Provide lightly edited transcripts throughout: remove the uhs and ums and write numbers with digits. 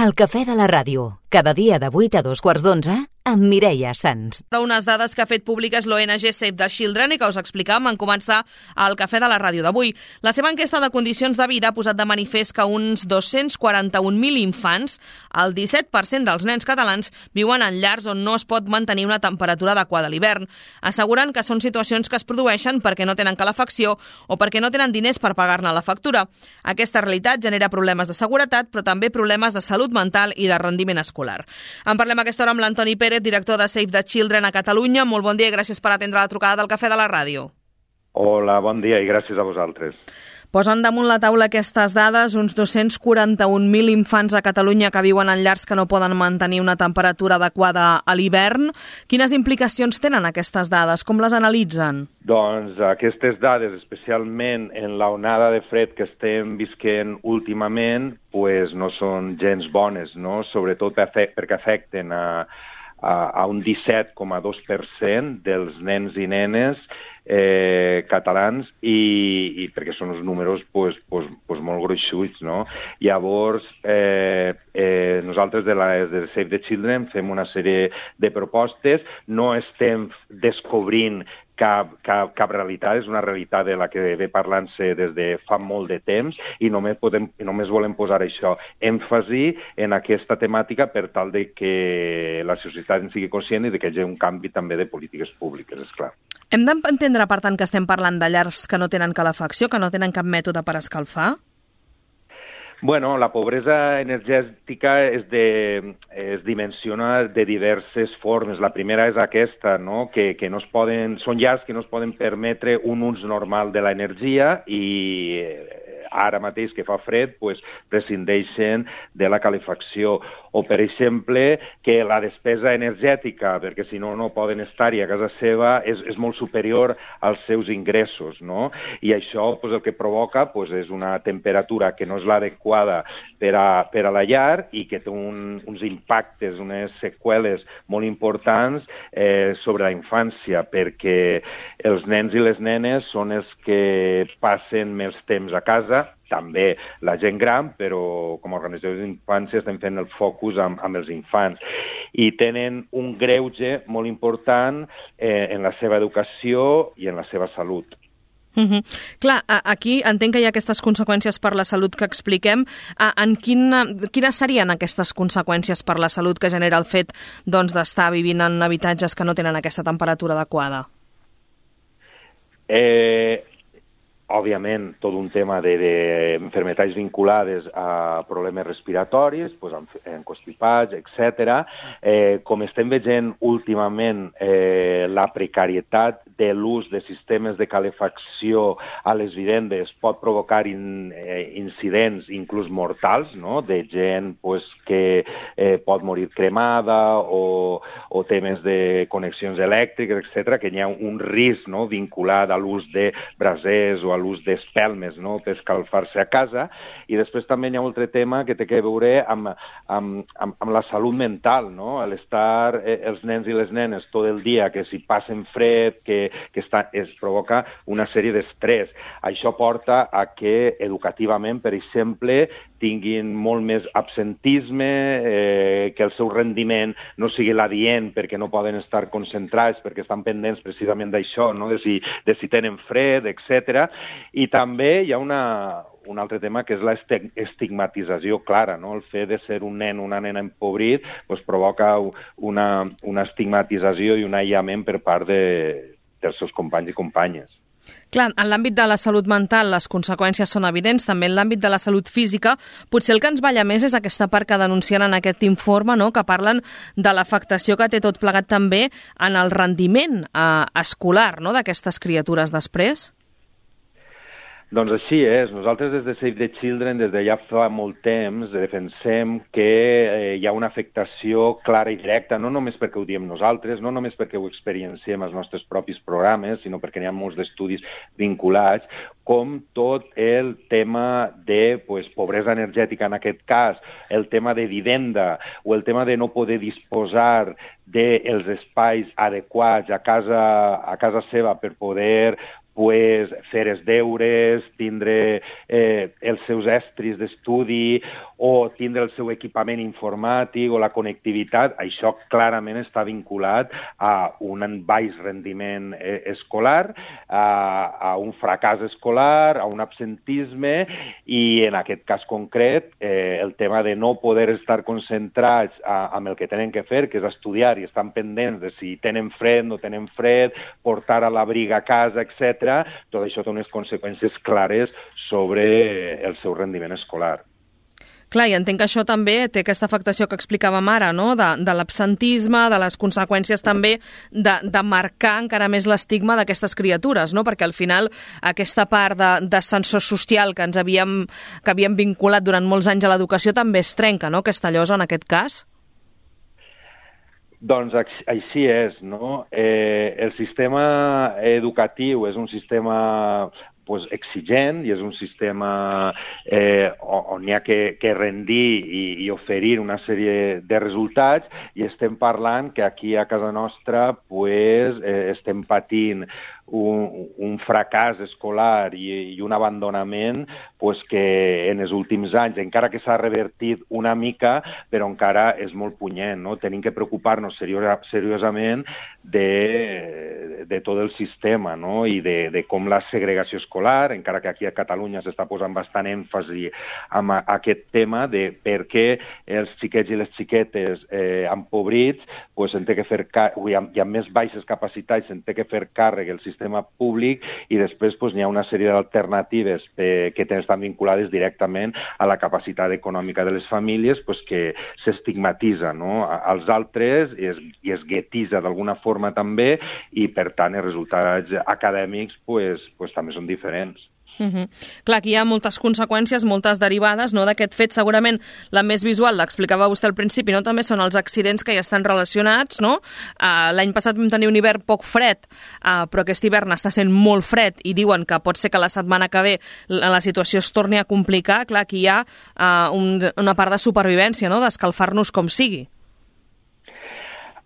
El cafè de la ràdio, cada dia de 8 a 2:15, amb Mireia Sans. Unes dades que ha fet públiques l'ONG Save the Children i que us explicàvem en començar al cafè de la ràdio d'avui. La seva enquesta de condicions de vida ha posat de manifest que uns 241.000 infants, el 17% dels nens catalans, viuen en llars on no es pot mantenir una temperatura adequada a l'hivern. Asseguren que són situacions que es produeixen perquè no tenen calefacció o perquè no tenen diners per pagar-ne la factura. Aquesta realitat genera problemes de seguretat, però també problemes de salut mental i de rendiment escolar. En parlem a aquesta hora amb l'Antoni Pérez, director de Save the Children a Catalunya. Molt bon dia i gràcies per atendre la trucada del cafè de la ràdio. Hola, bon dia i gràcies a vosaltres. Posen damunt la taula aquestes dades, uns 241.000 infants a Catalunya que viuen en llars que no poden mantenir una temperatura adequada a l'hivern. Quines implicacions tenen aquestes dades? Com les analitzen? Doncs aquestes dades, especialment en l'onada de fred que estem visquent últimament, pues no són gens bones, no? Sobretot perquè afecten a un 17,2% dels nens i nenes catalans i perquè són uns números pues, molt gruixuts, no? Llavors, nosaltres de Save the Children fem una sèrie de propostes, no estem descobrint cap realitat, és una realitat de la que ve parlant-se des de fa molt de temps i només volem posar això, èmfasi en aquesta temàtica per tal de que la societat en sigui conscient i de que hi hagi un canvi també de polítiques públiques, esclar. Hem d'entendre, per tant, que estem parlant de llars que no tenen calefacció, que no tenen cap mètode per escalfar? Bueno, la pobresa energètica es dimensiona de diverses formes. La primera és aquesta, no? Que no es poden, són llars que no es poden permetre un ús normal de l'energia i ara mateix que fa fred, pues, prescindeixen de la calefacció. O, per exemple, que la despesa energètica, perquè si no, no poden estar-hi a casa seva, és molt superior als seus ingressos, no? I això pues, el que provoca pues, és una temperatura que no és l'adequada per a la llar i que té uns impactes, unes seqüeles molt importants sobre la infància, perquè els nens i les nenes són els que passen més temps a casa, també la gent gran, però com a organització d'infància estem fent el focus amb els infants. I tenen un greuge molt important en la seva educació i en la seva salut. Clar, aquí entenc que hi ha aquestes conseqüències per la salut que expliquem. Quines serien aquestes conseqüències per la salut que genera el fet d'estar vivint en habitatges que no tenen aquesta temperatura adequada? Òbviament, tot un tema d'enfermetats vinculades a problemes respiratoris, constipats, etc. Com estem veient últimament, la precarietat de l'ús de sistemes de calefacció a les vivendes pot provocar incidents inclús mortals, no? De gent que pot morir cremada o temes de connexions elèctriques, etc., que hi ha un risc, no? Vinculat a l'ús de brasers o a l'ús d'espelmes, no? Per escalfar-se a casa. I després també hi ha un altre tema que té a veure amb la salut mental, no? L'estar els nens i les nenes tot el dia, que si passen fred, que es provoca una sèrie d'estrès. Això porta a que educativament, per exemple, tinguin molt més absentisme, que el seu rendiment no sigui l'adient perquè no poden estar concentrats, perquè estan pendents precisament d'això, no? De si tenen fred, etc. I també hi ha un altre tema que és l'estigmatització clara, no? El fet de ser un nen o una nena empobrit pues, provoca una estigmatització i un aïllament per part dels seus companys i companyes. Clar, en l'àmbit de la salut mental les conseqüències són evidents, també en l'àmbit de la salut física. Potser el que ens balla més és aquesta part que denuncien en aquest informe, no? Que parlen de l'afectació que té tot plegat també en el rendiment escolar, no? D'aquestes criatures després. Doncs així és. Nosaltres des de Save the Children, des de ja fa molt temps, defensem que hi ha una afectació clara i directa, no només perquè ho diem nosaltres, no només perquè ho experienciem als nostres propis programes, sinó perquè hi ha molts d'estudis vinculats, com tot el tema de pobresa energètica en aquest cas, el tema de vivenda o el tema de no poder disposar dels espais adequats a casa seva per poder pues, fer els deures, tindre els seus estris d'estudi o tindre el seu equipament informàtic o la connectivitat, això clarament està vinculat a un baix rendiment escolar, a un fracàs escolar, a un absentisme i, en aquest cas concret, el tema de no poder estar concentrats amb el que tenen que fer, que és estudiar, i estan pendents de si tenen fred, no tenen fred, portar a l'abric a casa, etc. Tot això té unes conseqüències clares sobre el seu rendiment escolar. Clar, i entenc que això també té aquesta afectació que explicàvem ara, no? De l'absentisme, de les conseqüències també de marcar encara més l'estigma d'aquestes criatures, no? Perquè al final aquesta part d'ascensor social que havíem vinculat durant molts anys a l'educació també es trenca, no? Aquesta llosa en aquest cas. Doncs així és, no? El sistema educatiu és un sistema exigent i és un sistema on hi ha que rendir i oferir una sèrie de resultats, i estem parlant que aquí a casa nostra estem patint un fracàs escolar i un abandonament que en els últims anys, encara que s'ha revertit una mica, però encara és molt punyent, no? Tenim que preocupar-nos seriosament de tot el sistema, no? I de com la segregació escolar, encara que aquí a Catalunya s'està posant bastant èmfasi en aquest tema de per què els xiquets i les xiquetes empobrits i amb més baixes capacitats se'n té que fer càrrec el sistema públic, i després n'hi ha una sèrie d'alternatives que estan vinculades directament a la capacitat econòmica de les famílies que s'estigmatitza, no? Als altres i es guetitza d'alguna forma també, i per tant els resultats acadèmics també són diferents. Clar, aquí hi ha moltes conseqüències, moltes derivades, no, d'aquest fet. Segurament la més visual, l'explicava vostè al principi, no? També són els accidents que hi estan relacionats, no? L'any passat vam tenir un hivern poc fred, però aquest hivern està sent molt fred i diuen que pot ser que la setmana que ve la situació es torni a complicar. Clar, aquí hi ha una part de supervivència, no? D'escalfar-nos com sigui.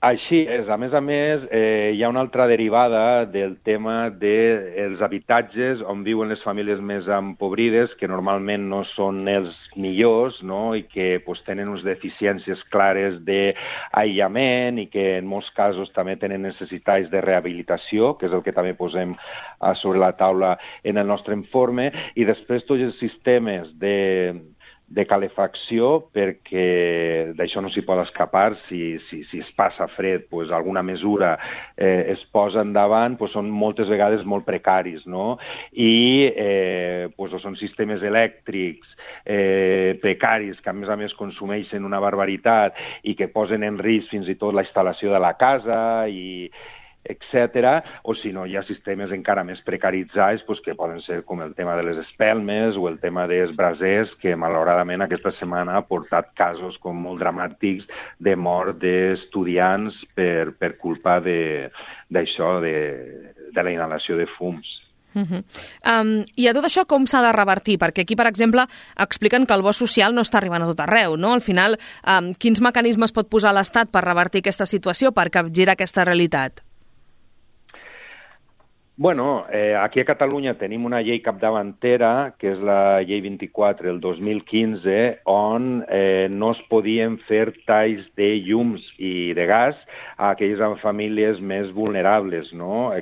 Així és. A més, hi ha una altra derivada del tema dels habitatges on viuen les famílies més empobrides, que normalment no són els millors, no? I que tenen unes deficiències clares d'aïllament i que en molts casos també tenen necessitats de rehabilitació, que és el que també posem sobre la taula en el nostre informe, i després tots els sistemes de calefacció, perquè d'això no s'hi pot escapar. Si es passa fred, alguna mesura es posa endavant, són moltes vegades molt precaris, no? I són sistemes elèctrics precaris que a més consumeixen una barbaritat i que posen en risc fins i tot la instal·lació de la casa etc. O si no, hi ha sistemes encara més precaritzats que poden ser com el tema de les espelmes o el tema dels brasers, que malauradament aquesta setmana ha portat casos molt dramàtics de mort d'estudiants per culpa d'això, de la inhalació de fums. I a tot això com s'ha de revertir? Perquè aquí, per exemple, expliquen que el bo social no està arribant a tot arreu, no? Al final, quins mecanismes pot posar l'Estat per revertir aquesta situació, per capgirar aquesta realitat? Bueno, aquí a Catalunya tenim una llei capdavantera, que és la llei 24 del 2015, on no es podien fer talls de llums i de gas a aquelles famílies més vulnerables, no?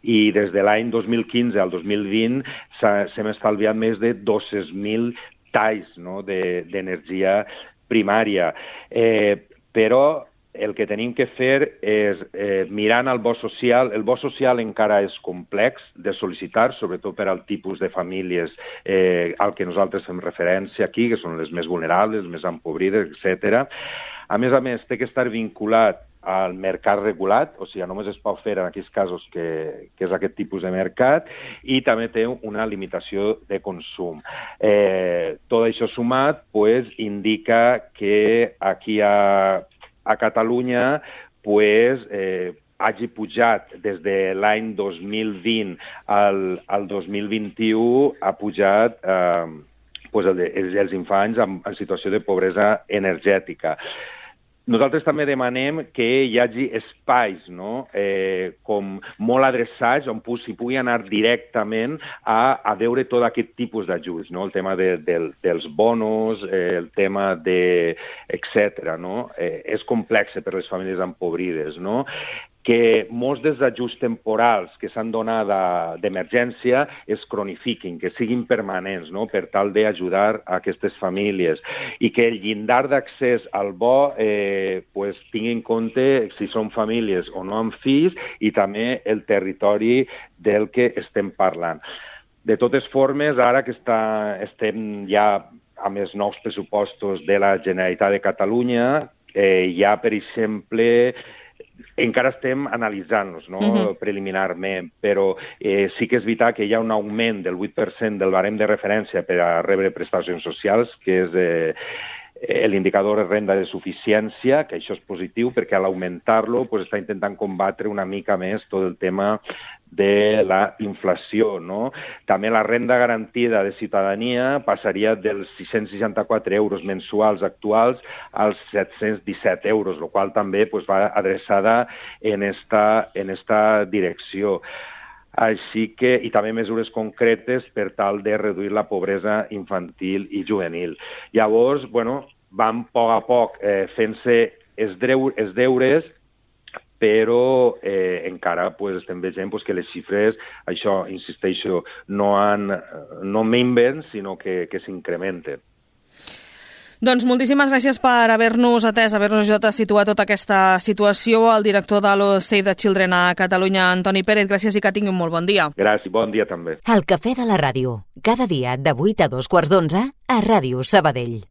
I des de l'any 2015 al 2020 s'hem estalviat més de 200.000 talls, no? d'energia primària. Però el que tenim que fer és, mirant el bo social, el bo social encara és complex de sol·licitar, sobretot per al tipus de famílies al que nosaltres fem referència aquí, que són les més vulnerables, les més empobrides, etc. A més, té que estar vinculat al mercat regulat, o sigui, només es pot fer en aquells casos que és aquest tipus de mercat, i també té una limitació de consum. Tot això sumat indica que aquí a Catalunya hagi pujat des de l'any 2020 al 2021, ha pujat els infants en situació de pobresa energètica. Nosaltres també demanem que hi hagi espais, no? Com molt adreçats on s'hi pugui anar directament a veure tot aquest tipus d'ajuts, no? El tema dels bonos, el tema etc. No? És complex per les famílies empobrides, no? Que molts dels ajuts temporals que s'han donat d'emergència es cronifiquin, que siguin permanents, no? Per tal d'ajudar a aquestes famílies, i que el llindar d'accés al bo tingui en compte si són famílies o no amb fills i també el territori del que estem parlant. De totes formes, ara que estem ja amb els nous pressupostos de la Generalitat de Catalunya, ja, per exemple, encara estem analitzant-los, no? Preliminarment, però sí que és veritat que hi ha un augment del 8% del barem de referència per a rebre prestacions socials, que és l'indicador de renda de suficiència, que això és positiu perquè a l'augmentar-lo està intentant combatre una mica més tot el tema de la inflació, no? També la renda garantida de ciutadania passaria dels 664 euros mensuals actuals als 717 euros, el qual també va adreçada en esta direcció. Així que, i també mesures concretes per tal de reduir la pobresa infantil i juvenil. Llavors, vam a poc fent-se els deures, però encara estem veient que les xifres, això, insisteixo, no minven, sinó que s'incrementen. Doncs moltíssimes gràcies per haver-nos atès, haver-nos ajudat a situar tota aquesta situació. El director de Save the Children a Catalunya, Antoni Pérez, gràcies i que tingui un molt bon dia. Gràcies, bon dia també. El Cafè de la Ràdio, cada dia de 8 a 2 quarts d'11 a Ràdio Sabadell.